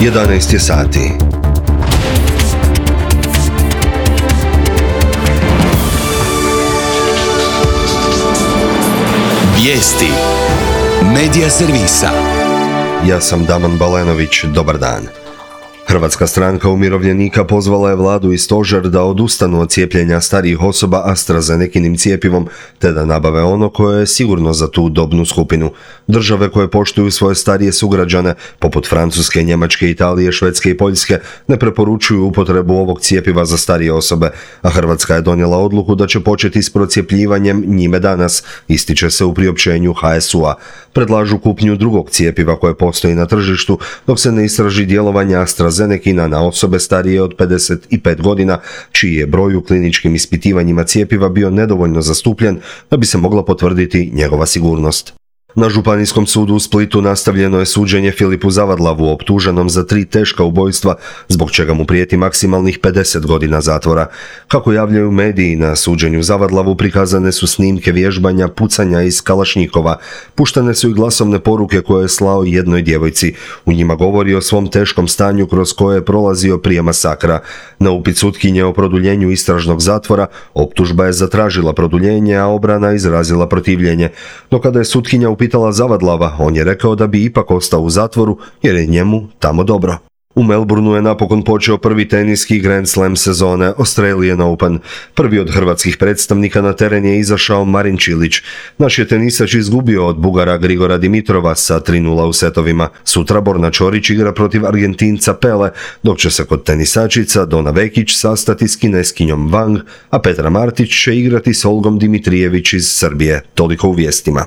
11 je sati. Vijesti Medija servisa. Ja sam Damon Balenović, dobar dan. Hrvatska stranka umirovljenika pozvala je vladu i stožer da odustanu od cijepljenja starijih osoba AstraZenekinim cijepivom, te da nabave ono koje je sigurno za tu dobnu skupinu. Države koje poštuju svoje starije sugrađane, poput Francuske, Njemačke, Italije, Švedske i Poljske, ne preporučuju upotrebu ovog cijepiva za starije osobe, a Hrvatska je donijela odluku da će početi s procjepljivanjem njime danas, ističe se u priopćenju HSU-a. Predlažu kupnju drugog cijepiva koje postoji na tržištu, dok se ne istraži djelovanje AstraZenekina na osobe starije od 55 godina, čiji je broj u kliničkim ispitivanjima cijepiva bio nedovoljno zastupljen da bi se mogla potvrditi njegova sigurnost. Na Županijskom sudu u Splitu nastavljeno je suđenje Filipu Zavadlavu, optuženom za 3 teška ubojstva, zbog čega mu prijeti maksimalnih 50 godina zatvora. Kako javljaju mediji, na suđenju Zavadlavu prikazane su snimke vježbanja pucanja iz kalašnjikova. Puštene su i glasovne poruke koje je slao jednoj djevojci. U njima govori o svom teškom stanju kroz koje je prolazio prije masakra. Na upit sutkinje o produljenju istražnog zatvora, optužba je zatražila produljenje, a obrana izrazila protivljenje. No kada je sutkinja upitala Zavadlava, on je rekao da bi ipak ostao u zatvoru jer je njemu tamo dobro. U Melbourneu je napokon počeo prvi teniski Grand Slam sezone Australian Open. Prvi od hrvatskih predstavnika na teren je izašao Marin Čilić. Naš je tenisač izgubio od Bugara Grigora Dimitrova sa 3:0 u setovima. Sutra Borna Čorić igra protiv Argentinca Pele, dok će se kod tenisačica Dona Vekić sastati s Kineskinjom Wang, a Petra Martić će igrati s Olgom Dimitrijević iz Srbije. Toliko u vijestima.